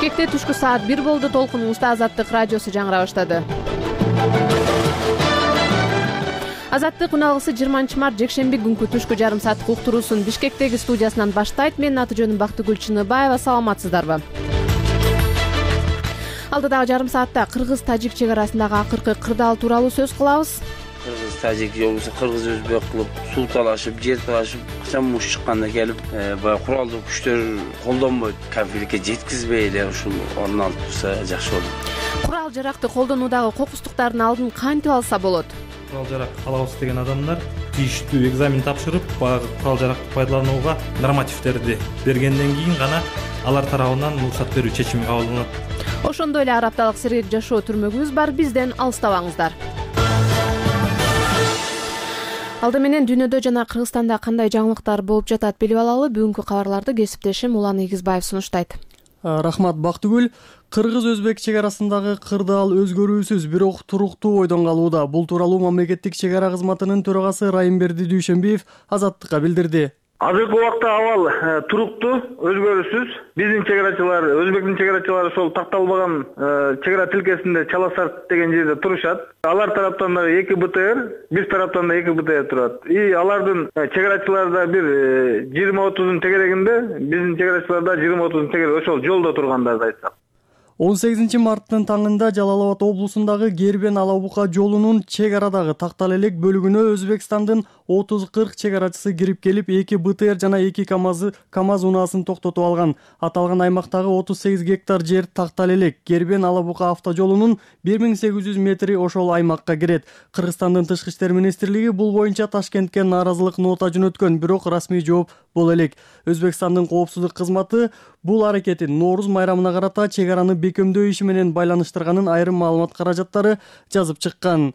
Бишкекте түшкү саат 1 болду. Толкунубузда Азаттык радиосу жаңыра баштады. Азаттык үналгысы 20 март жекшемби күнкү түшкү жарым сааттык уктуруусун Бишкектеги студиясынан баштайт. Менин аты жөнүм Бактыгүл Чыныбаева. Саламатсыздарбы? Алдыдагы жарым саатта кыргыз-тажик чек арасындагы акыркы кырдаал тууралуу сөз кылабыз. Кыргыз-тажик же болбосо кыргыз-өзбек кылып суу талашып, жер талашып, качан муш чыкканда келип, баягы куралдуу күчтөр колдонбойт, конфликтке жеткизбей эле ушул орун алып турса жакшы болот. Курал жаракты колдонуудагы кокустуктардын алдын кантип алса болот? Курал жарак алабыз деген адамдар тийиштүү экзамен тапшырып, баягы курал жаракты пайдаланууга нормативдерди бергенден кийин гана алар тарабынан уруксат берүү чечими кабыл алынат. Ошондой эле 1 апталык сергек жашоо түрмөгүбүз бар. Бизден алыстабаңыздар. Алды менен дүйнөдө жана Кыргызстанда кандай жаңылыктар болуп жатат билип алалы. Бүгүнкү кабарларды кесиптешим Улан Эгизбаев сунуштайт. Рахмат Бактыгүл. Кыргыз-өзбек чек арасындагы кырдаал өзгөрүүсүз, бирок туруктуу ойдон калууда. Бул тууралуу мамлекеттик чек ара кызматынын төрагасы Райымберди Дүйшөнбиев Азаттыкка билдирди. Азыркы убакта абал туруктуу, өзгөрүүсүз. Биздин чек арачылар, өзбектин чек арачылары ошол такталбаган чек ара тилкесинде Чаласарт деген жерде турушат. Алар тараптан дагы 2 БТР, биз тараптан да 2 БТР турат. И алардын чек арачыларда бир 20-30 тегерегинде, биздин чек арачыларда 20-30 тегерек ошол жолдо тургандарды айтсак. 18 марттын таңында Жалал Абад облусундагы Гербен Алабука жолунун чек арадагы тактал элек бөлүгүнө Өзбекстандын 30-40 чек арачысы кирип келип, 2 БТР жана 2 КАМАЗ унаасын токтотуп алган. Аталган аймактагы 38 гектар жер тактал элек. Гербен Алабука автожолунун 1800 метри ошол аймакка кирет. Кыргызстандын тышкы иштер министрлиги бул боюнча Ташкентке нааразылык нота жөнөткөн, бирок расмий жооп боло элек. Өзбекстандын коопсуздук кызматы бул аракетин Нооруз майрамына карата чек араны бекемдөө иши менен байланыштырганын айрым маалымат каражаттары жазып чыккан.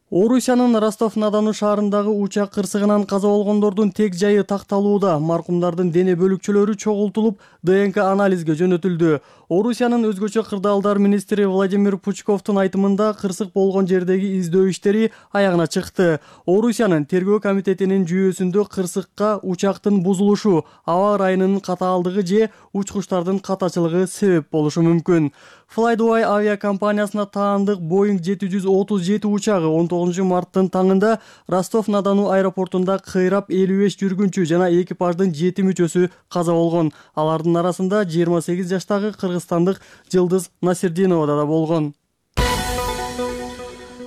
Орусиянын Ростов-на-Дону шаарындагы учак кырсыгынан каза болгондордун тек жайы такталууда. Маркумдардын дене бөлүкчөлөрү чогултулуп, ДНК анализге жөнөтүлдү. Орусиянын өзгөчө кырдаалдар министри Владимир Пучковдун айтымында кырсык болгон жердеги издөө иштери аягына чыкты. Орусиянын тергөө комитетинин жүйөсүндө кырсыкка учактын бузулушу, аба ырайынын катаалдыгы же учкучтардын катачылыгы себеп болушу мүмкүн. Fly-Dubai авиакомпаниясына таандык Boeing 737 учагы 19 марттын таңында Ростов-на-Дону аэропортунда кыйрап 55 жүргүнчү жана экипаждын 7 мүчөсү каза болгон. Алардын арасында 28 жаштагы кыргызстандык Жылдыз Насирдинова да болгон.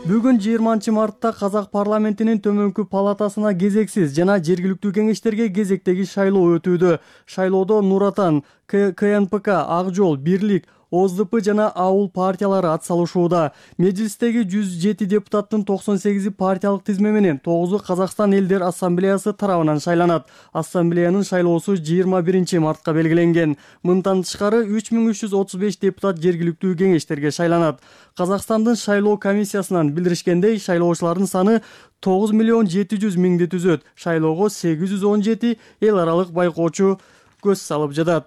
Бүгүн 20 мартта Казак парламентинин төмөнкү палатасына кезексиз жана жергиликтүү кеңештерге кезектеги шайлоо өтүүдө. Шайлоодо Нур Отан, КНПК, Ак жол, Бирлик, ОЗДП жана ауыл партиялары атсалышууда. Мejлистеги 107 депутаттын 98 партиялык тизме менен 9-у Казакстан элдер ассамблеясы тарабынан шайланат. Ассамблеянын шайлоосу 21 мартка белгиленген. Мындан тышкары 3335 депутат жергиликтүү кеңештерге шайланат. Казакстандын шайлоо комиссиясынан билдиришкендей, шайлоочулардын саны 9 миллион 700 миңди түзөт. Шайлоого 817 эл аралык байкоочу көз салып жатат.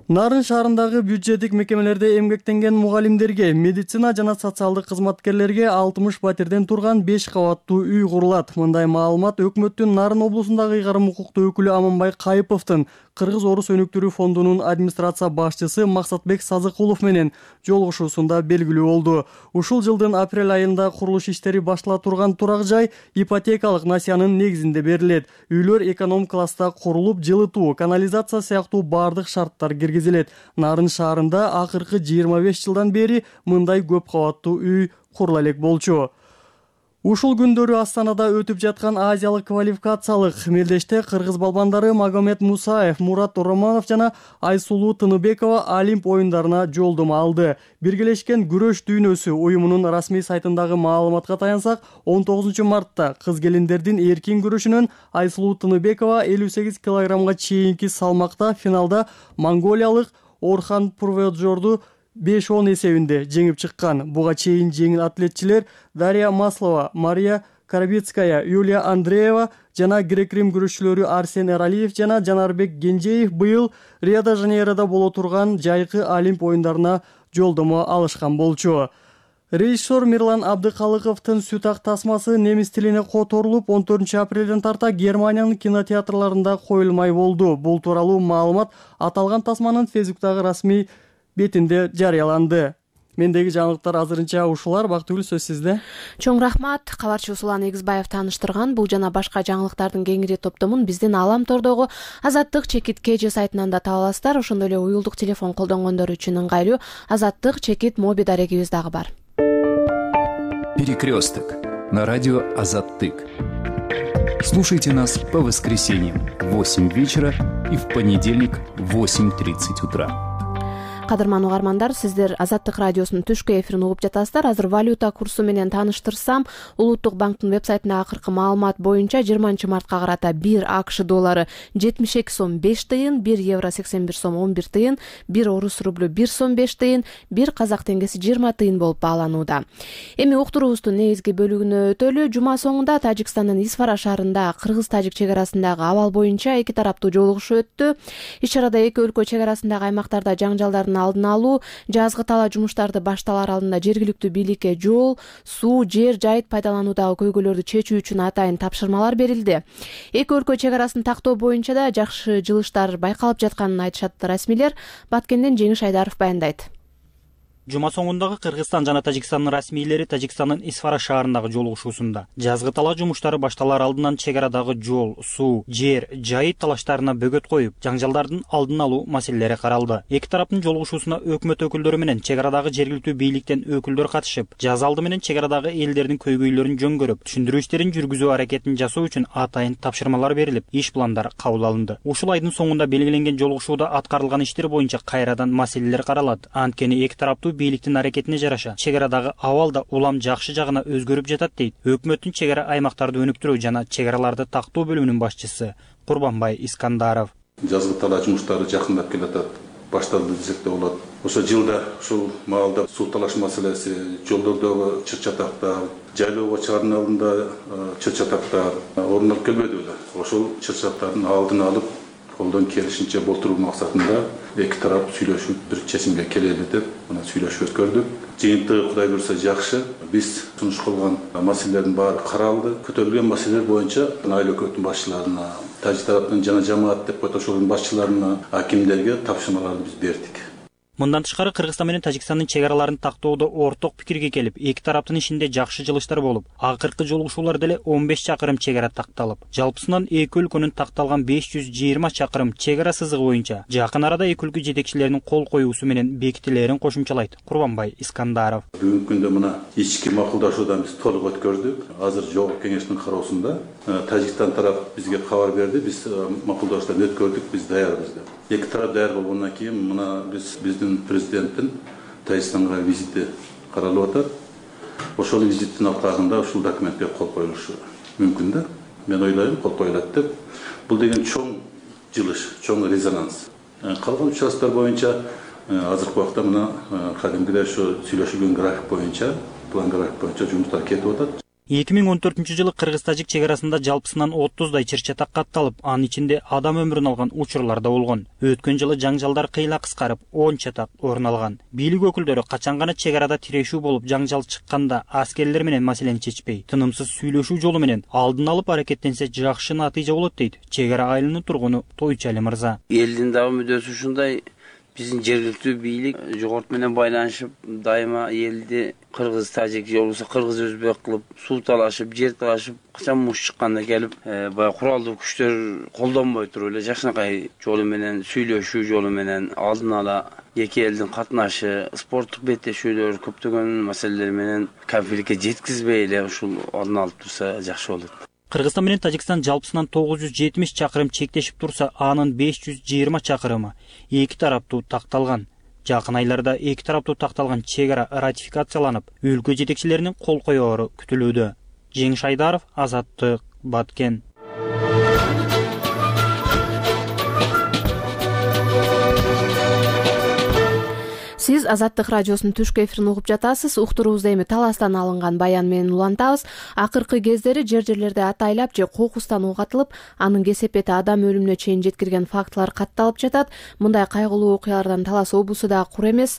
Нарын шаарындагы бюджеттик мекемелерде эмгектенген мугалимдерге, медицина жана социалдык кызматкерлерге 60 патерден турган 5 кабаттуу үй курулат. Мындай маалымат өкмөттүн Нарын облусундагы ыйгарым укуктуу өкүлү Аманбай Кайыповдун Кыргыз-Орус өнүктүрүү фондунун администрация башчысы Максатбек Сазыкулов менен жолугушуусунда белгилүү болду. Ушул жылдын апрель айында курулуш иштери баштала турган турак жай ипотекалык насиянын негизинде берилет. Үйлөр эконом класста курулуп, жылытуу, канализация сыяктуу бардык шарттар киргизилет. Нарын шаарында акыркы 25 жылдан бери мындай көп кабаттуу үй курула элек болчу. Ушул күндөрү Астанада өтүп жаткан Азиялык квалификациялык мелдеште кыргыз балбандары Магомед Мусаев, Мурат Романов жана Айсулуу Тыныбекова Олимп оюндарына жолдомо алды. Биргелешкен күрөш дүйнөсү уюмунун расмий сайтындагы маалыматка таянсак, 19 мартта кыз келиндердин эркин күрөшүнөн Айсулуу Тыныбекова 58 килограммга чейинки салмакта финалда монголиялык Орхан Пурведжорду 5-10 эсебинде жеңип чыккан. Буга чейин жеңил атлетчилер Дарья Маслова, Мария Карабицкая, Юлия Андреева жана грек-рим күрөшчүлөрү Арсен Эралиев жана Жанарбек Генжеев быйыл Рио-де-Жанейрода боло турган жайкы Олимп оюндарына жолдомо алышкан болчу. Режиссер Мирлан Абдыкалыковдун «Сүт ак тасмасы» немис тилине которулуп, 14-апрелден тарта Германиянын кинотеатрларында коюлмай болду. Бул тууралуу маалымат аталган тасманын Фейсбуктагы расмий бетинде жарыяланды. Мендеги жаңылыктар азырынча ушулар. Бактыгүл, сөз сизде. Чоң рахмат. Кабарчы Усулан Эгизбаев тааныштырган бул жана башка жаңылыктардын кеңири топтомун биздин Алам тордогу Азаттык чекит KG сайтынан да таба аласыздар. Ошондой эле уюлдук телефон колдонгондор үчүн ыңгайлуу Азаттык чекит моби дарегибиз дагы бар. Перекресток на радио Азаттык. Слушайте нас по воскресеньям в 8 вечера и в понедельник в 8:30 утра. Кадырман угармандар, сиздер Азаттык радиосунун түшкү эфирин угуп жатасыздар. Азыр валюта курсу менен тааныштырсам, Улуттук банктын вебсайтында акыркы маалымат боюнча 20 мартка карата 1 АКШ доллары 72 сом 5 тыйын, 1 евро 81 сом 11 тыйын, 1 орус рублю 1 сом 5 тыйын, 1 казак теңгеси 20 тыйын болуп бааланууда. Эми уктуруубуздун негизги бөлүгүнө өтөлү. Жума соңунда Тажикстандын Исфара шаарында кыргыз-тажик чек арасындагы абал боюнча эки тараптуу жолугушуу өттү. Иш чарада эки өлкө чек арасындагы аймактарда жаңжалдардын алдын алуу, жазгы тала жумуштарды башталар алдында жергиликтүү бийликке жол, суу, жер жайыт пайдалануудагы көйгөйлөрдү чечүү үчүн атайын тапшырмалар берилди. Эки өлкө чек арасын тактоо боюнча да жакшы жылыштар байкалып жатканын айтышат расмийлер. Баткенден Жеңиш Айдаров баяндайт. Жума соңундагы Кыргызстан жана Тажикстандын расмийлери Тажикстандын Исфара шаарындагы жолугушуусунда жазгы тала жумуштары башталар алдынан чек арадагы жол, суу, жер, жайыт талаштарына бөгөт коюп, жаңжалдардын алдын алуу маселелери каралды. Эки тараптын жолугушуусуна өкмөт өкүлдөрү менен чек арадагы жергиликтүү бийликтен өкүлдөр катышып, жаз алды менен чек арадагы элдердин көйгөйлөрүн жөнгөрүп, түшүндүрүү иштерин жүргүзүү аракетин жасоо үчүн атайын тапшырмалар берилип, иш пландар кабыл алынды. Ушул айдын соңунда белгиленген жолугушууда аткарылган иштер боюнча кайрадан маселелер каралат. Анткени эки тараптуу бийликтин аракетине жараша чек арадагы абал да улам жакшы жагына өзгөрүп жатат дейт өкмөттүн чек ара аймактарды өнүктүрүү жана чек араларды тактоо бөлүмүнүн башчысы Курбанбай Искандаров. Жазгы тала жумуштары жакындап келатат, башталды десек да болот. Ошо жылда ушул маалда суу талаш маселеси, жолдордогу чыр-чатактар, жайлоого чыгаардын алдында чыр-чатактар орун алып келбеди беле. Ошол чыр-чатактардын алдын алып, колдон келишинче болтуруу максатында эки тарап сүйлөшүп бир чечимге келели деп мына сүйлөшүп өткөрдүк. Жыйынтыгы Кудай буйрса жакшы. Биз сунуш кылган маселелердин баары каралды. Көтөрүлгөн маселелер боюнча айыл өкмөттүн башчыларына, тажик тараптын жана жамаат деп ошолордун башчыларына, акимдерге тапшырмаларды биз бердик. Мындан тышкары Кыргызстан менен Тажикстандын чек араларын тактоодо орток пикирге келип, эки тараптын ишинде жакшы жылыштар болуп, акыркы жолугушуулар деле 15 чакырым чек ара такталып, жалпысынан эки өлкөнүн такталган 520 чакырым чек ара сызыгы боюнча жакын арада эки өлкө жетекчилеринин кол коюусу менен бекитилерин кошумчалайт Курбанбай Искандаров. Бүгүнкү күндө мына ички макулдашуудан биз толук өткөрдүк. Азыр жогорку кеңештин кароосунда Тажикстан тарап бизге кабар берди. Биз макулдашуудан өткөрдүк, биз даярбыз деп. Эки тарап даяр болгондон кийин мына биздин президенттин Тажикстанга визити каралып атат. Ошол визиттин алкагында ушул документке кол коюлушу мүмкүн да. Мен ойлойм, кол коюлат деп. Бул деген чоң жылыш, чоң резонанс. Калган участоктор боюнча азыркы убакта мына кадимгидей ошо сүйлөшүлгөн график боюнча, план график боюнча жумуштар кетип атат. 2014 жылы Кыргыз-тажик чек арасында жалпысынан 30дай чыр-чатак катталып, анын ичинде адам өмүрүн алган учурлар да болгон. Өткөн жылы жаңжалдар кыйла кыскарып, 10 чатак орун алган. Бийлик өкүлдөрү качан гана чек арада тирешүү болуп жаңжал чыкканда аскерлер менен маселени чечпей, тынымсыз сүйлөшүү жолу менен алдын алып аракеттенсе жакшы натыйжа болот дейт чек ара айылынын тургуну Тойчали мырза. Элдин дагы мүддөсү ушундай. Биздин жергиликтүү бийлик жогорку менен байланышып, дайыма элди кыргыз-тажик жолубузда кыргыз-өзбек кылып, суу талашып, жер талашып, качан муш чыкканда келип, баягы куралдуу күчтөр колдонбой туруп эле жакшынакай жолу менен, сүйлөшүү жолу менен алдын ала эки элдин катнашы, спорттук беттешүүлөр, көптөгөн маселелер менен конфликтке жеткизбей эле ушул орун алып турса жакшы болот. Кыргызстан менен Тажикстан жалпысынан 970 чакырым чектешип турса, анын 520 чакырымы эки тараптуу такталган. Жакын айларда эки тараптуу такталган чек ара ратификацияланып, өлкө жетекчилеринин кол коёору күтүлүүдө. Жеңиш Айдаров, Азаттык, Баткен. Сиз Азаттык радиосунун түшкү эфирин угуп жатасыз. Уктуруубузда эми таластан алынган баян менен улантабыз. Акыркы кездери жер-жерлерде атайлап же кокустан ук атылып, анын кесепети адам өлүмүнө чейин жеткирген фактылар катталып жатат. Мындай кайгылуу окуялардан Талас облусу да кур эмес.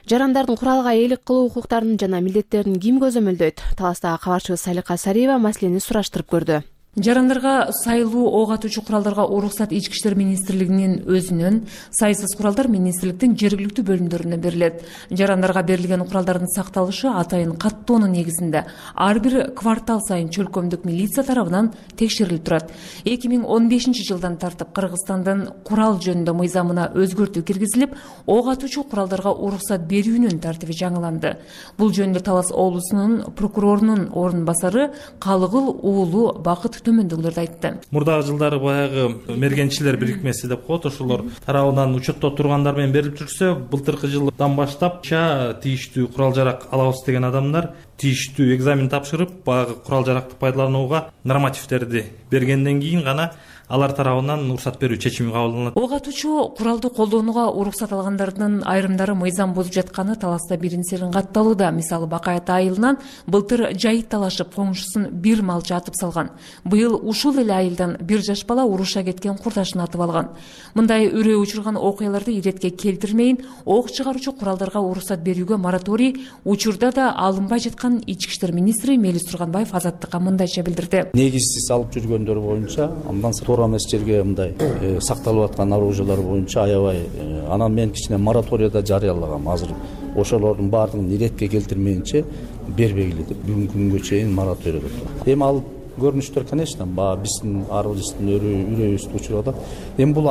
Жарандардын куралга ээлик кылуу укуктарын жана милдеттерин ким көзөмөлдөйт? Таластагы кабарчыбыз Салика Сариева маселени сураштырып көрдү. Жарандарга сайлуу ок атуучу куралдарга уруксат Ички иштер министрлигинин өзүнөн, Сайсыз куралдар министрликтин жергиликтүү бөлүмдөрүнө берилет. Жарандарга берилген куралдардын сакталышы атайын каттоонун негизинде ар бир квартал сайын чөлкөмдүк милиция тарабынан текшерилип турат. 2015-жылдан тартып Кыргызстандын курал жөнүндө мыйзамына өзгөртүү киргизилип, ок атуучу куралдарга уруксат берүүнүн тартиби жаңыланды. Бул жөнүндө Талас облусунун прокурорунун орун басары Калыгыл уулу Бакыт төмөндөгүлөрдү айтты. Мурдагы жылдары баягы мергенчилер бирикмеси деп коет, ошолор тарабынан учетто тургандар менен берилип жүрсө, былтыркы жылдан баштап тийиштүү курал жарак алабыз деген адамдар тийиштүү экзамен тапшырып, баягы курал жаракты пайдаланууга нормативдерди бергенден кийин гана алар тарабынан уруксат берүү чечими кабыл алынат. Ок атуучу куралды колдонууга уруксат алгандардын айрымдары мыйзам бузуп жатканы Таласта бирин-серин катталууда. Мисалы, Бакайат айылынан былтыр жайыт талашып, коңшусун бир малчы атып салган. Быйыл ушул эле айылдан бир жаш бала уруша кеткен курдашын атып алган. Мындай үрөө учурган окуяларды иретке келтирмейин, ок чыгаруучу куралдарга уруксат берүүгө мораторий учурда да алынбай жаткан Ички иштер министри Мелис Турганбаев Азаттыкка мындайча билдирди. Негизсиз алып жүргөндөр боюнча, андан туура эмес жерге мындай сакталып аткан оружиялар боюнча аябай, анан мен кичине мораторийда жарыялагам. Азыр ошолордун баардыгын иретке келтирмейинче бербегиле деп бүгүнкү күнгө чейин мораторийде турат. Эми ал көрүнүштөр, конечно, биздин ар бирибиздин үрөйүбүздү учурда. Эми бул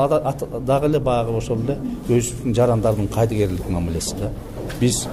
дагы эле баягы ошол эле өзүбүздүн жарандардын кайдыгерлик мамилеси да. Биз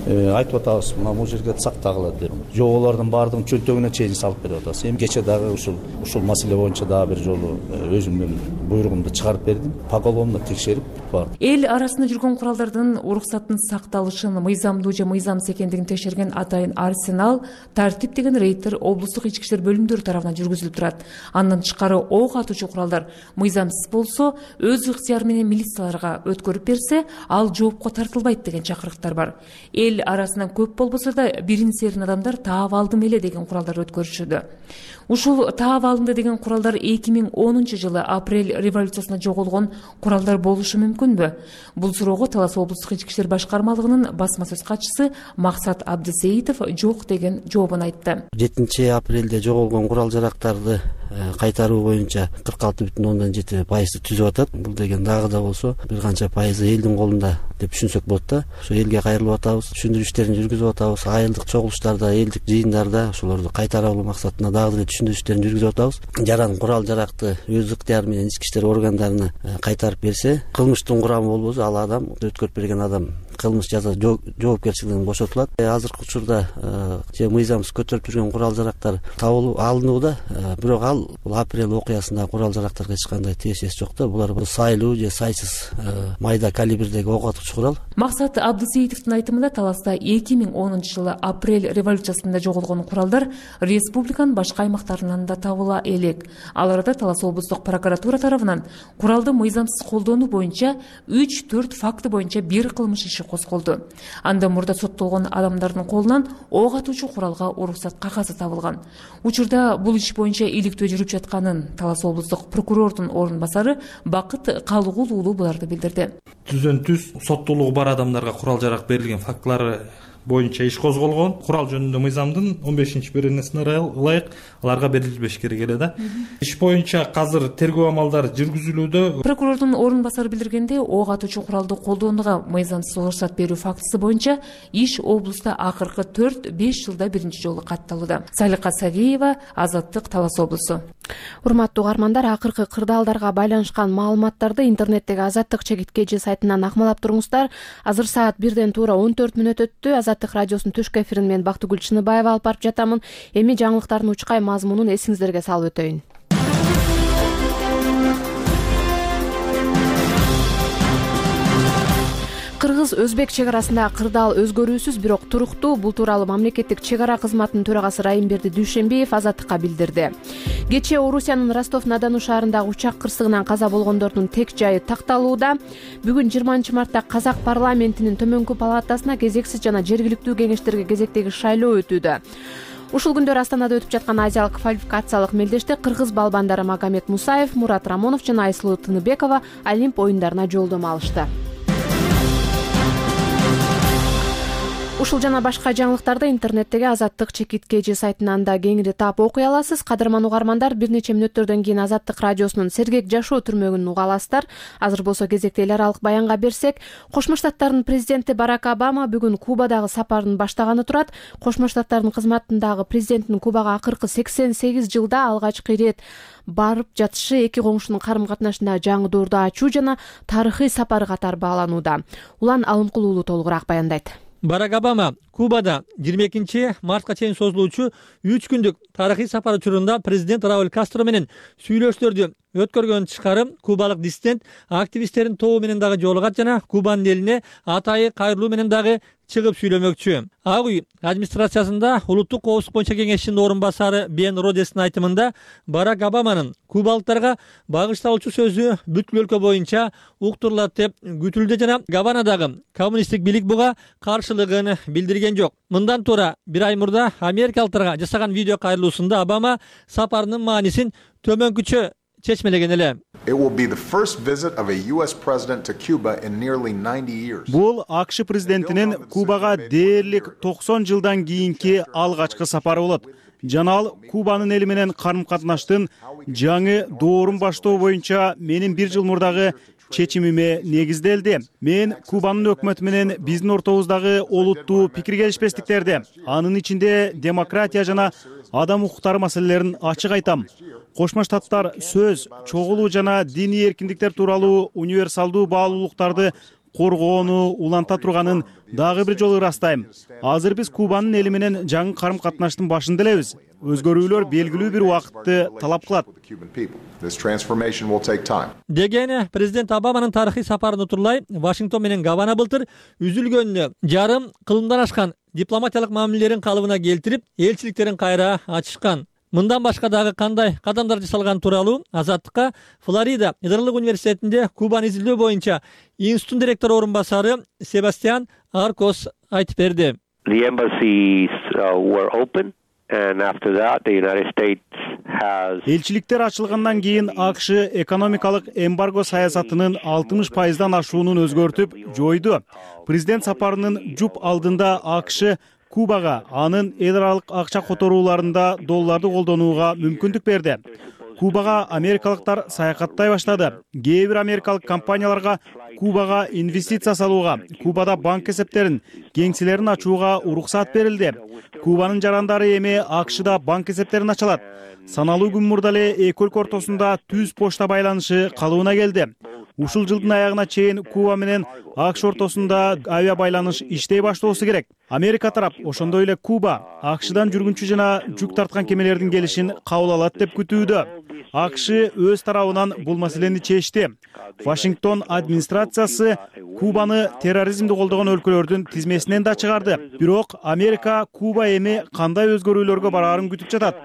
айтып атабыз, мына бул жерге сактагыла деп. Жоболордун баардыгын чөнтөгүнө чейин салып берип атабыз. Эми кече дагы ушул маселе боюнча дагы бир жолу өзүмдүн буйругумду чыгарып бердим. Поголовно текшерип барды. Эл арасында жүргөн куралдардын уруксаттын сакталышын мыйзамдуу же мыйзамсыз экендигин текшерген атайын арсенал тартип деген рейдтер облустук ички иштер бөлүмдөрү тарабынан жүргүзүлүп турат. Андан тышкары ок атуучу куралдар мыйзамсыз болсо, өз ыктыяры менен милицияларга өткөрүп берсе, ал жоопко тартылбайт деген чакырыктар бар. Эл арасынан көп болбосо да бирин-серин адамдар таап алдым эле деген куралдар өткөрүшүүдө. Ушул таап алынды деген куралдар 2010-жылы апрель революциясында жоголгон куралдар болушу мүмкүнбү? Бул суроого Талас облустук ички иштер башкармалыгынын басма сөз катчысы Максат Абдысеитов жок деген жообун айтты. 7-апрелде жоголгон курал жарактарды кайтаруу боюнча 46,7% түзүп атат. Бул деген дагы да болсо бир канча пайызы элдин колунда деп түшүнсөк болот да. Ошо элге кайрылып атабыз, түшүндүрүү иштерин жүргүзүп атабыз. Айылдык чогулуштарда, элдик жыйындарда ошолорду кайтара алуу максатында дагы деле түшүндүрүү иштерин жүргүзүп атабыз. Жаран курал жаракты өз ыктыяры менен ички иштер органдарына кайтарып берсе, кылмыштын курамы болбосо ал адам, өткөрүп берген адам кылмыш жаза жоопкерчилигинен бошотулат. Азыркы учурда же мыйзамсыз көтөрүп жүргөн курал жарактар алынууда, бирок ал бул апрель окуясындагы курал жарактарга эч кандай тиешеси жок да. Булар сайлуу же сайсыз майда калибрдеги ок атуучу курал. Максат Абдысеитовдун айтымында Таласта 2010-жылы апрель революциясында жоголгон куралдар республиканын башка аймактарынан да табыла элек. Ал арада Талас облустук прокуратура тарабынан куралды мыйзамсыз колдонуу боюнча 3-4 факты боюнча бир кылмыш иши козголду. Андан мурда соттолгон адамдардын колунан ок атуучу куралга уруксат кагазы табылган. Учурда бул иш боюнча иликтөө жүрүп жатканын Талас облустук прокурордун орун басары Бакыт Калыгул уулу буларды билдирди. Түз соттуулугу бар адамдарга курал жарак берилген фактылары боюнча иш козголгон. Курал жөнүндө мыйзамдын 15-беренесине ылайык аларга берилбеш керек эле да. Иш боюнча азыр тергөө амалдары жүргүзүлүүдө. Прокурордун орун басары билдиргендей, ок атуучу куралды колдонууга мыйзамсыз уруксат берүү фактысы боюнча иш облуста акыркы 4-5 жылда биринчи жолу катталууда. Салика Сариева, Азаттык, Талас облусу. Урматтуу угармандар, акыркы кырдаалдарга байланышкан маалыматтарды интернеттеги Азаттык чекиткеji сайтынан акмалап туруңуздар. Азыр саат 1ден туура 14 мүнөт өттү. Азаттык радиосунун түшкү эфирин мен Бактыгүл Чыныбаева алып барып жатамын. Эми жаңылыктардын учкай мазмунун эсиңиздерге салып өтөйүн. Кыргыз өзбек чек арасында кырдаал өзгөрүүсүз, бирок туруктуу. Бул тууралуу мамлекеттик чек ара кызматынын төрагасы Райымберди Дүйшөнбиев Азаттыкка билдирди. Кечээ Орусиянын Ростов-на-Дону шаарындагы учак кырсыгынан каза болгондордун тек жайы такталууда. Бүгүн 20 мартта Казак парламентинин төмөнкү палатасына кезексиз жана жергиликтүү кеңештерге кезектеги шайлоо өтүүдө. Ушул күндөр Астанада өтүп жаткан азиялык квалификациялык мелдеште кыргыз балбандары Магомед Мусаев, Мурат Рамонов жана Айсулуу Тыныбекова Олимп оюндарына жолдомо алышты. Ушул жана башка жаңылыктарды интернеттеги Азаттык ЧКТ сайтынан да кеңири таап окуй аласыз. Кадырман угармандар, бир нече мүнөттөрдөн кийин Азаттык радиосунун Сергек жашоо түрмөгүн уга аласыздар. Азыр болсо кезекте эл аралык баянга берсек, Кошмо Штаттардын президенти Барак Обама бүгүн Кубадагы сапарын баштаганы турат. Кошмо Штаттардын кызматындагы президенттин Кубага акыркы 88 жылда алгачкы ирет барып жатышы эки коңшунун карым-катнашында жаңы доорду ачуу жана тарыхый сапары катары бааланууда. Улан Алымкул уулу толугураак баяндайт. Барак Обама Кубада 22 мартка чейин созулуучу 3 күндүк тарыхый сапары учурунда президент Рауль Кастро менен сүйлөшүүлөрдү өткөргөн тышкары кубалык диссидент активисттердин тобу менен дагы жолугат жана Кубанын элине атайы кайрылуу менен дагы чыгып сүйлөмөкчү. Ак үй администрациясында улуттук коопсуздук боюнча кеңешчинин орун басары Бен Родестин айтымында Барак Обаманын кубалыктарга багышталуучу сөзү бүткүл өлкө боюнча уктурулат деп күтүлдү жана Гаванадагы коммунисттик бийлик буга каршылыгын билдирген жок. Мындан туура бир ай мурда америкалыктарга жасаган видео кайрылуусунда Обама сапарынын маанисин төмөнкүчө чечмелеген эле. Бул АКШ президентинин Кубага дээрлик 90 жылдан кийинки алгачкы сапары болот. Жана ал Кубанын эли менен карым-катнаштын жаңы доорун баштоо боюнча менин 1 жыл мурдагы чечимиме негизделди. Мен Кубанын өкмөтү менен биздин ортобуздагы олуттуу пикир келишпестиктерди, анын ичинде демократия жана адам укуктары маселелерин ачык айтам. Кошмо Штаттар сөз, чогулуу жана диний эркиндиктер тууралуу универсалдуу баалуулуктарды коргоону уланта турганын дагы бир жолу ырастайм. Азыр биз Кубанын эли менен жаңы карым-катнаштын башында элебиз. Өзгөрүүлөр белгилүү бир убакытты талап кылат. Деген президент Обаманын тарыхый сапарын утурлай Вашингтон менен Гавана былтыр үзүлгөнүнө жарым кылымдан ашкан дипломатиялык мамилелерин калыбына келтирип, элчиликтерин кайра ачышкан. Мындан башка дагы кандай кадамдар жасалган тууралуу Азаттыкка Флорида Ядролук университетинде Кубаны изилдөө боюнча институттун директору орун басары Себастьян Аркос айтып берди. Элчиликтер ачылгандан кийин АКШ экономикалык эмбарго саясатынын 60% ашуунун өзгөртүп жойду. Президент сапарынын жуп алдында АКШ Кубага анын эл аралык акча которууларында долларды колдонууга мүмкүндүк берди. Кубага америкалыктар саякаттай баштады. Кээ бир америкалык компанияларга Кубага инвестиция салууга, Кубада банк эсептерин, кеңселерин ачууга уруксат берилди. Кубанын жарандары эми АКШда банк эсептерин ачалат. Саналуу күн мурда эле эки өлкө ортосунда түз почта байланышы калыбына келди. Ушул жылдын аягына чейин Куба менен АКШ ортосунда авиа байланыш иштей баштоосу керек. Америка тарап ошондой эле Куба АКШдан жүргүнчү жана жүк тарткан кемелердин келишин кабыл алат деп күтүүдө. АКШ өз тарабынан бул маселени чечти. Вашингтон администрациясы Кубаны терроризмди колдогон өлкөлөрдүн тизмесинен да чыгарды. Бирок Америка Куба эми кандай өзгөрүүлөргө бараарын күтүп жатат.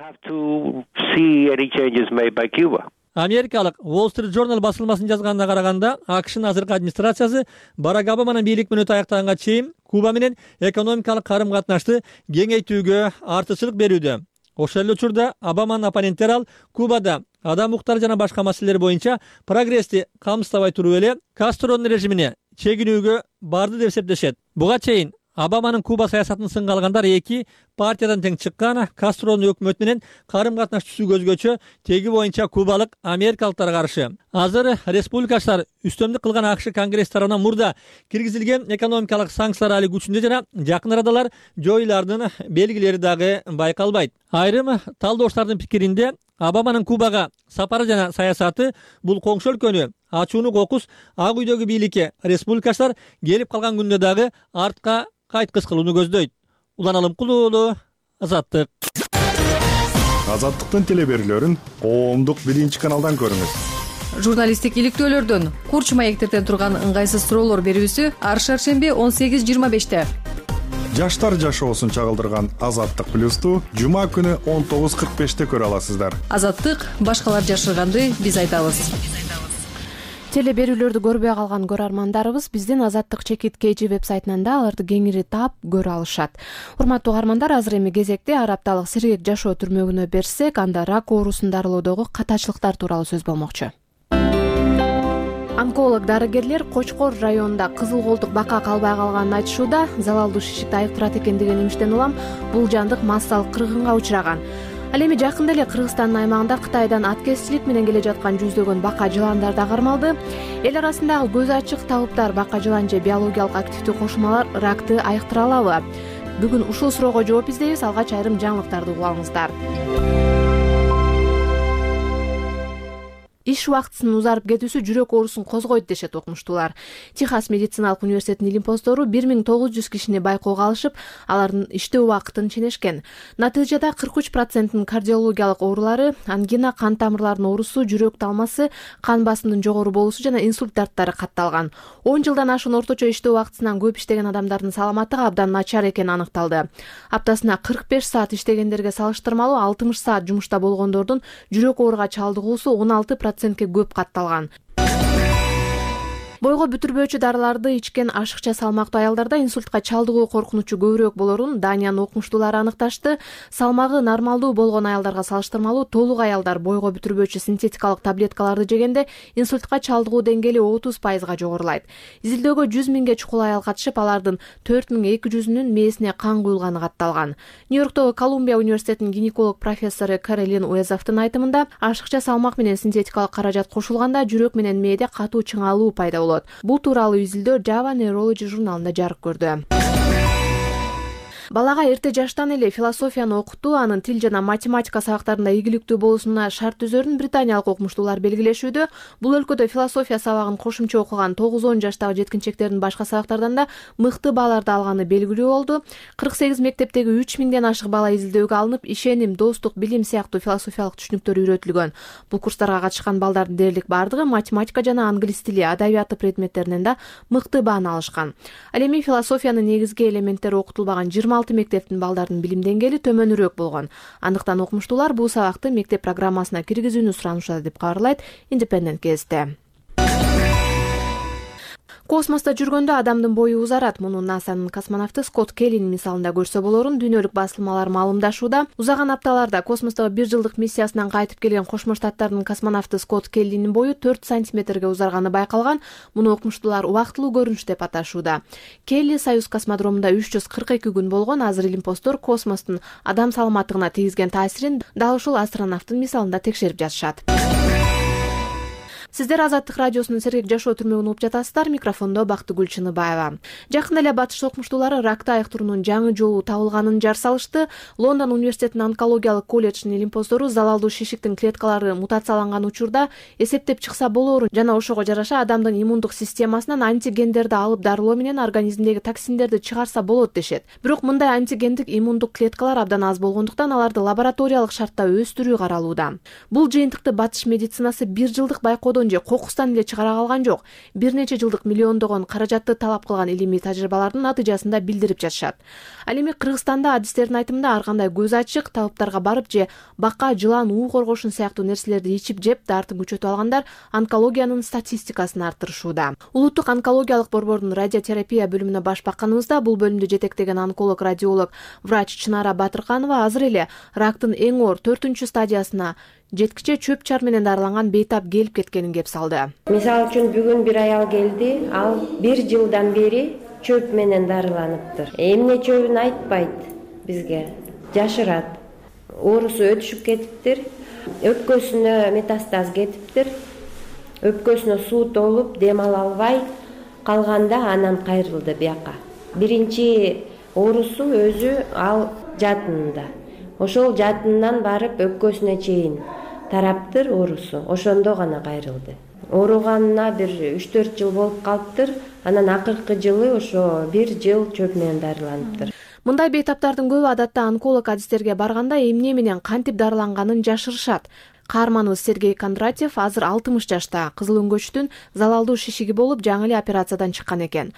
Америкалык Wall Street Journal басылмасынын жазганына караганда, АКШнын азыркы администрациясы Барак Обаманын бийлик мөөнөтү аяктаганга чейин Куба менен экономикалык карым-катнашты кеңейтүүгө артыкчылык берүүдө. Ошол эле учурда Обаманын оппоненттери ал Кубада адам укуктары жана башка маселелер боюнча прогрессти камсыздабай туруп эле Кастронун режимине чегинүүгө барды деп эсептешет. Буга чейин Обаманын Куба саясатын сынга алгандар эки партиядан тең чыккан. Кастронун өкмөтү менен карым-катнаш түзүү өзгөчө, теги боюнча кубалык америкалыктар каршы. Азыр республикачылар үстөмдүк кылган АКШ Конгресс тарабынан мурда киргизилген экономикалык санкциялар али күчүндө жана жакын арадалар жоюлардын белгилери дагы байкалбайт. Айрым талдоочулардын пикиринде Обаманын Кубага сапары жана саясаты бул коңшу өлкөнү ачууну кокус Ак үйдөгү бийликке республикачылар келип калган күндө дагы артка кайткыс кылууну көздөйт. Улан Алымкул уулу, Азаттык. Азаттыктын телеберүүлөрүн коомдук 1 каналдан көрүңүз. Журналисттик иликтөөлөрдөн, курч маектерден турган ыңгайсыз суроолор берүүсү ар шаршемби 18:25. Жаштар жашоосун чагылдырган Азаттык плюсту жума күнү 19:45 көрө аласыздар. Азаттык, башкалар жашырганды биз айтабыз. Теле берүүлөрдү көрбөй калган көрөрмандарыбыз биздин Азаттык чекит KG вебсайтынан да аларды кеңири таап көрө алышат. Урматтуу угармандар, азыр эми кезекте ар апталык сергек жашоо түрмөгүнө берсек, анда рак оорусун дарылоодогу катачылыктар тууралуу сөз болмокчу. Онколог дарыгерлер Кочкор районунда кызыл колтук бака калбай калганын айтышууда. Залалдуу шишикти айыктырат экен деген имиштен улам бул жандык массалык кыргынга учураган. Ал эми жакында эле Кыргызстандын аймагында Кытайдан аткезчилик менен келе жаткан жүздөгөн бака жыландар да кармалды. Эл арасындагы көз ачык талаптар бака жылан же биологиялык активдүү кошулмалар ракты айыктыра алабы? Бүгүн ушул суроого жооп издейбиз. Алгач айрым жаңылыктарды угуңуздар. Иш убактысынын узарып кетүүсү жүрөк оорусун козгойт дешет окумуштуулар. Техас медициналык университетинин илимпоздору 1900 кишини байкоого алышып, алардын иштөө убакытын ченешкен. Натыйжада 43%-ын кардиологиялык оорулары, ангина, кан тамырларынын оорусу, жүрөк талмасы, кан басымынын жогору болуусу жана инсульт дарттары катталган. 10 жылдан ашуун орточо иштөө убактысынан көп иштеген адамдардын саламаттыгы абдан начар экени аныкталды. Аптасына 45 саат иштегендерге салыштырмалуу 60 саат жумушта болгондордун жүрөк ооруга чалдыгуусу 16% көп катталган. Бойго бүтүрбөөчү дарыларды ичкен ашыкча салмактуу аялдарда инсультка чалдыгуу коркунучу көбүрөөк болорун Даниянын окумуштуулары аныкташты. Салмагы нормалдуу болгон аялдарга салыштырмалуу толук аялдар бойго бүтүрбөөчү синтетикалык таблеткаларды жегенде инсультка чалдыгуу деңгээли 30%га жогорулайт. Изилдөөгө 100 миңге чукул аял катышып, алардын 4200-үнүн мээсине кан куюлганы катталган. Нью-Йорктогу Колумбия университетинин гинеколог профессору Каролин Уэзовдун айтымында, ашыкча салмак менен синтетикалык каражат кошулганда жүрөк менен мээде катуу чыңалуу пайда болот. Бул тууралуу изилдөө Java Neurology журналында жарык көрдү. Балага эрте жаштан эле философияны окутуу, анын тил жана математика сабактарында ийгиликтүү болуусуна шарт түзөрүн британиялык окумуштуулар белгилешүүдө. Бул өлкөдө философия сабагын кошумча окуган 9-10 жаштагы жеткинчектердин башка сабактардан да мыкты бааларды алганы белгилүү болду. 48 мектептеги 3000ден ашык бала изилдөөгө алынып, ишеним, достук, билим сыяктуу философиялык түшүнүктөр үйрөтүлгөн. Бул курстарга катышкан балдардын дээрлик бардыгы математика жана англис тили, адабияты предметтеринен да мыкты бааны алышкан. Ал эми философиянын негизги элементтери окутулбаган 26 мектептин балдардын билим деңгээли төмөнүрөөк болгон. Андыктан окумуштуулар бул сабакты мектеп программасына киргизүүнү суранышат деп кабарлайт Independent газети. Космоста жүргөндө адамдын бою узарат. Муну НАСАнын космонавту Скотт Келлинин мисалында көрсө болорун дүйнөлүк басылмалар маалымдашууда. Узаган апталарда космостогу 1 жылдык миссиясынан кайтып келген Кошмо Штаттардын космонавту Скотт Келлинин бою 4 сантиметрге узарганы байкалган. Муну окумуштуулар убактылуу көрүнүш деп аташууда. Келли Союз космодромунда 342 күн болгон. Азыр илимпоздор космостун адам саламаттыгына тийгизген таасирин дал ушул астронавттын мисалында текшерип жатышат. Сиздер Азаттык радиосунун сергек жашоо түрмөгүн угуп жатасыздар. Микрофондо Бактыгүл Чыныбаева. Жакында эле батыш окумуштуулары ракты айыктыруунун жаңы жолу табылганын жар салышты. Лондон университетинин онкологиялык колледжинин илимпоздору залалдуу шишиктин клеткалары мутацияланган учурда эсептеп чыкса болоорун жана ошого жараша адамдын иммундук системасынан антигендерди алып дарылоо менен организмдеги токсиндерди чыгарса болот дешет. Бирок мындай антигендик иммундук клеткалар абдан аз болгондуктан аларды лабораториялык шартта өстүрүү каралууда. Бул жыйынтыкты батыш медицинасы 1 жылдык байкоодон же кокустан эле чыгара калган жок. Бир нече жылдык миллиондогон каражатты талап кылган илимий тажрыйбалардын натыйжасында билдирип жатышат. Ал эми Кыргызстанда адистердин айтымында ар кандай көз ачык талаптарга барып же бака, жылан, уу коргошун сыяктуу нерселерди ичип жеп дартын күчөтүп алгандар онкологиянын статистикасын арттырышууда. Улуттук онкологиялык борбордун радиотерапия бөлүмүнө баш бакканыбызда бул бөлүмдү жетектеген онколог, радиолог, врач Чынара Батырканова азыр эле рактын эң оор 4-стадиясына жеткиче чөп чар менен дарыланган бейтап келип кеткенин кеп салды. Мисалы үчүн бүгүн бир аял келди, ал 1 жылдан бери чөп менен дарыланыптыр. Эмне чөбүн айтпайт бизге, жашырат. Оорусу өтүшүп кетиптир, өпкөсүнө метастаз кетиптир. Өпкөсүнө суу толуп, дем ала албай калганда анан кайрылды бияка. Биринчи оорусу өзү ал жатынында. Ошол жатындан барып өпкөсүнө чейин тараптыр оорусу. Ошондо гана кайрылды. Ооруганына бир 3-4 жыл болуп калыптыр. Анан акыркы жылы ошо 1 жыл чөп менен дарыланыптыр. Мындай бейтаптардын көбү адатта онколог адистерге барганда эмне менен кантип дарыланганын жашырышат. Каарманыбыз Сергей Кондратьев азыр 60 жашта, кызыл өңгөчтүн залалдуу шишиги болуп, жаңы эле операциядан чыккан экен.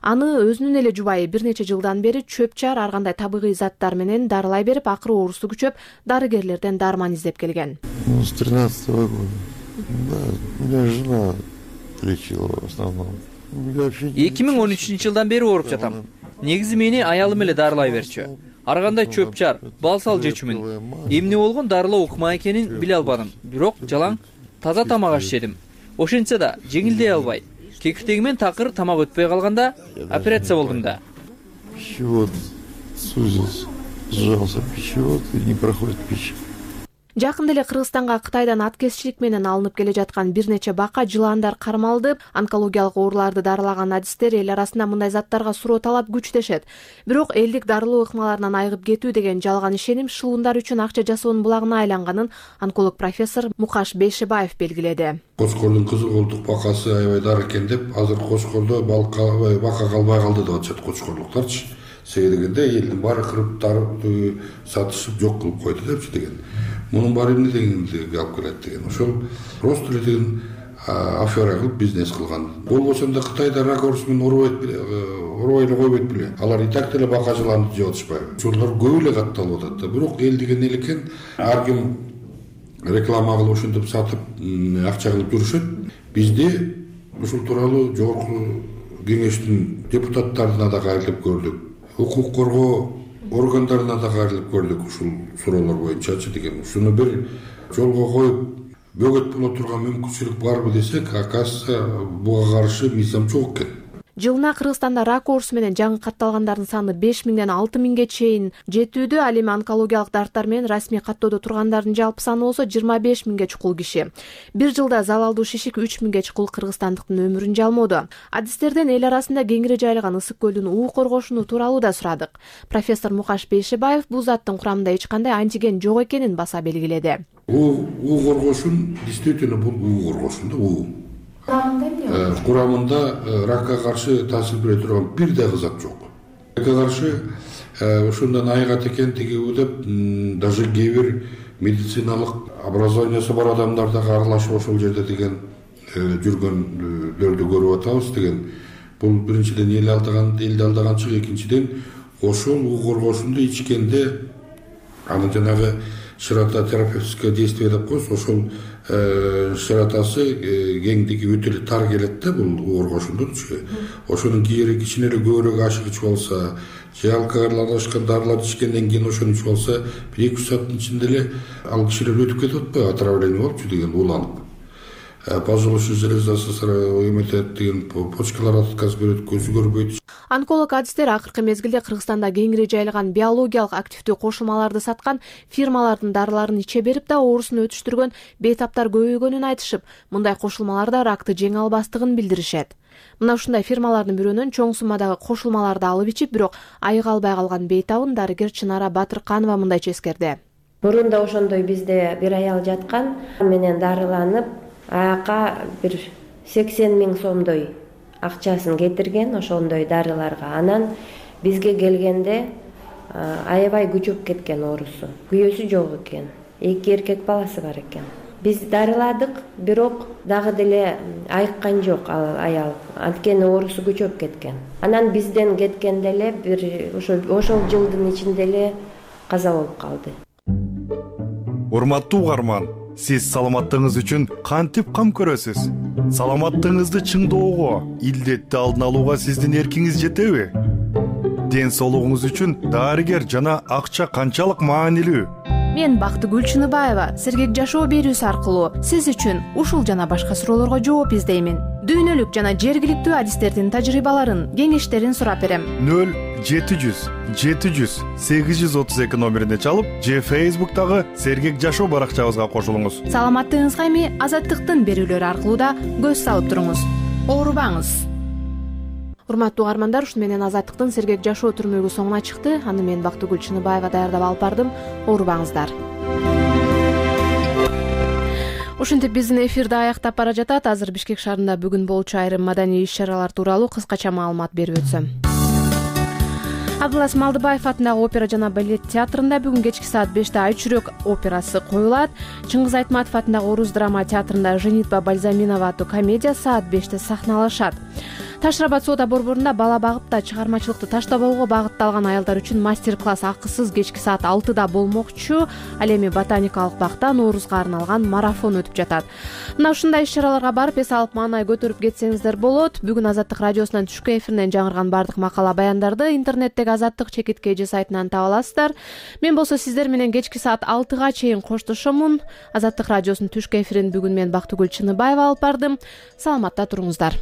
Аны өзүнүн эле жубайы бир нече жылдан бери чөп-чар ар кандай табигый заттар менен дарылай берип, акыры оорусу күчөп, дарыгерлерден дарман издеп келген. С 13-го года. Да, меня жена лечила в основном. 2013-жылдан бери ооруп жатам. Негизи мени аялым эле дарылай берчү. Ар кандай чөп-чар, балсал жечүмүн. Эмне болгон дарылоо ыкма экенин биле албадым. Бирок жалаң таза тамак аш жедим. Ошентсе да жеңилдей албай. Кекиртегимен такыр тамак өтпөй калганда операция болдум да. Пищевод сузился, сжался пищевод и не проходит пища. Жакында эле Кыргызстанга Кытайдан аткезчилик менен алынып келе жаткан бир нече бака жылаандар кармалды. Онкологиялык ооруларды дарылаган адистер эл арасында мындай заттарга суроо талап күчтөшөт. Бирок элдик дарылоо ыкмаларынан айыгып кетүү деген жалган ишеним шылуундар үчүн акча жасоонун булагына айланганын онколог профессор Мукаш Бейшебаев белгиледи. Кошкордун кызыл колтук бакасы аябай дар экен деп, азыр Кошкордо бака калбай калды деп атышат кошкорлуктарчы. Себеби дегенде элдин баары кырып дарып сатышып жок кылып койду депчи деген. Мунун баары эмне дегенди алып келет деген. Ошол просто эле деген афера кылып бизнес кылган. Болбосо да Кытайда рак оорусу менен оорубай эле койбойт беле. Алар и так деле бака жыланды жеп атышпайбы. Ошолор көп эле катталып атат да. Бирок эл деген эл экен, ар ким реклама кылып ошентип сатып акча кылып жүрүшөт. Бизде ушул тууралуу жогорку кеңештин депутаттарына да кайрылып көрдүк. Укук коргоо органдарына да кайрылып көрдүк ушул суроолор боюнчачы деген. Ушуну бир жолго коюп бөгөт боло турган мүмкүнчүлүк барбы десек, оказывается, буга каршы мыйзам жок экен. Жылына Кыргызстанда рак оорусу менен жаңы катталгандардын саны 5000ден 6000ге чейин жетүүдө. Ал эми онкологиялык дарттар менен расмий каттоодо тургандардын жалпы саны болсо 25000ге чукул киши. Бир жылда залалдуу шишик 3000ге чукул кыргызстандыктын өмүрүн жалмоодо. Адистерден эл арасында кеңири жайылган Ысык көлдүн уу коргошуну тууралуу да сурадык. Профессор Мукаш Бейшебаев бул заттын курамында эч кандай антиген жок экенин баса белгиледи. уу коргошун действительно бул уу коргошун да уу. Курамында ракка каршы таасир бере турган бир дагы зат жок. Ракка каршы ушундан айыгат экен тигиби деп даже кээ бир медициналык образованиясы бар адамдар да аралашып ошол жерде деген жүргөндөрдү көрүп атабыз деген. Бул биринчиден элди алдаганчылык, экинчиден ошол уу коргошунду ичкенде аны жанагы ширототерапевтическое действие деп коебуз, ошол широтасы кеңдиги өтө эле тар келет да бул уу коргошундунчу. Ошонун кийери кичине эле көбүрөөк ашык ичип алса, же алкоголь аралашкан дарыларды ичкенден кийин ошону ичип алса, 1-2 сааттын ичинде эле ал кишилер өтүп кетип атпайбы, отравление болупчу деген, ууланып. Позволочный железасы эметет деген, почкалар отказ берет, көзү көрбөйт. Онколог адистер акыркы мезгилде Кыргызстанда кеңири жайылган биологиялык активдүү кошулмаларды саткан фирмалардын дарыларын иче берип да оорусун өтүштүргөн бейтаптар көбөйгөнүн айтышып, мындай кошулмаларда ракты жеңе албастыгын билдиришет. Мына ушундай фирмалардын бирөөнөн чоң суммадагы кошулмаларды алып ичип, бирок айыга албай калган бейтабын дарыгер Чынара Батырканова мындайча эскерди. Мурунда ошондой бизде бир аял жаткан, менен дарыланып, аяка бир 80 000 сомдой акчасын кетирген ошондой дарыларга. Анан бизге келгенде аябай күчөп кеткен оорусу. Күйөөсү жок экен. 2 эркек баласы бар экен. Биз дарыладык, бирок дагы деле айыккан жок ал аял. Анткени оорусу күчөп кеткен. Анан бизден кеткенде эле бир ошол жылдын ичинде эле каза болуп калды. Урматтуу угарман, сиз саламаттыгыңыз үчүн кантип кам көрөсүз? Саламаттыгыңызды чыңдоого, илдетти алдын алууга сиздин эркиңиз жетеби? Ден соолугуңуз үчүн дарыгер жана акча канчалык маанилүү? Мен Бактыгүл Чыныбаева сергек жашоо берүүсү аркылуу сиз үчүн ушул жана башка суроолорго жооп издеймин. Дүйнөлүк жана жергиликтүү адистердин тажрыйбаларын, кеңештерин сурап берем. 0700 700 832 номерине чалып, же Facebook'тагы сергек жашоо баракчабызга кошулуңуз. Саламаттыгыңызга эми Азаттыктын берүүлөрү аркылуу да көз салып туруңуз. Оорубаңыз. Урматтуу угармандар, ушун менен Азаттыктын сергек жашоо түрмөгү соңуна чыкты. Аны мен Бактыгүл Чыныбаева даярдап алып бардым. Оорубаңыздар. Ушинтип биздин эфирди аяктап бара жатат. Азыр Бишкек шаарында бүгүн болчу айрым маданий иш-чаралар тууралуу кыскача маалымат берип өтсөм. Абдылас Малдыбаев атындагы опера жана балет театрында бүгүн кечки саат 5-те Ай чүрөк операсы коюлат. Чыңгыз Айтматов атындагы Орус драма театрында Женитьба Бальзаминова аттуу комедия саат 5-те сахналашат. Ташрабад соода борборунда бала багыпта чыгармачылыкты таштабоого багытталган аялдар үчүн мастер-класс акысыз кечки саат 6-да болмокчу. Ал эми ботаникалык бакта Ноорузга арналган марафон өтүп жатат. Мына ушундай иш-чараларга барып эс алып маанай көтөрүп кетсеңиздер болот. Бүгүн Азаттык радиосунан түшкү эфиринен жаңырган бардык макала баяндарды интернеттеги Азаттык ЧКТ сайтынан таба аласыздар. Мен болсо сиздер менен кечки саат 6-га чейин коштошомун. Азаттык радиосунун түшкү эфирин бүгүн мен Бактыгүл Чыныбаева алып бардым. Саламатта туруңуздар.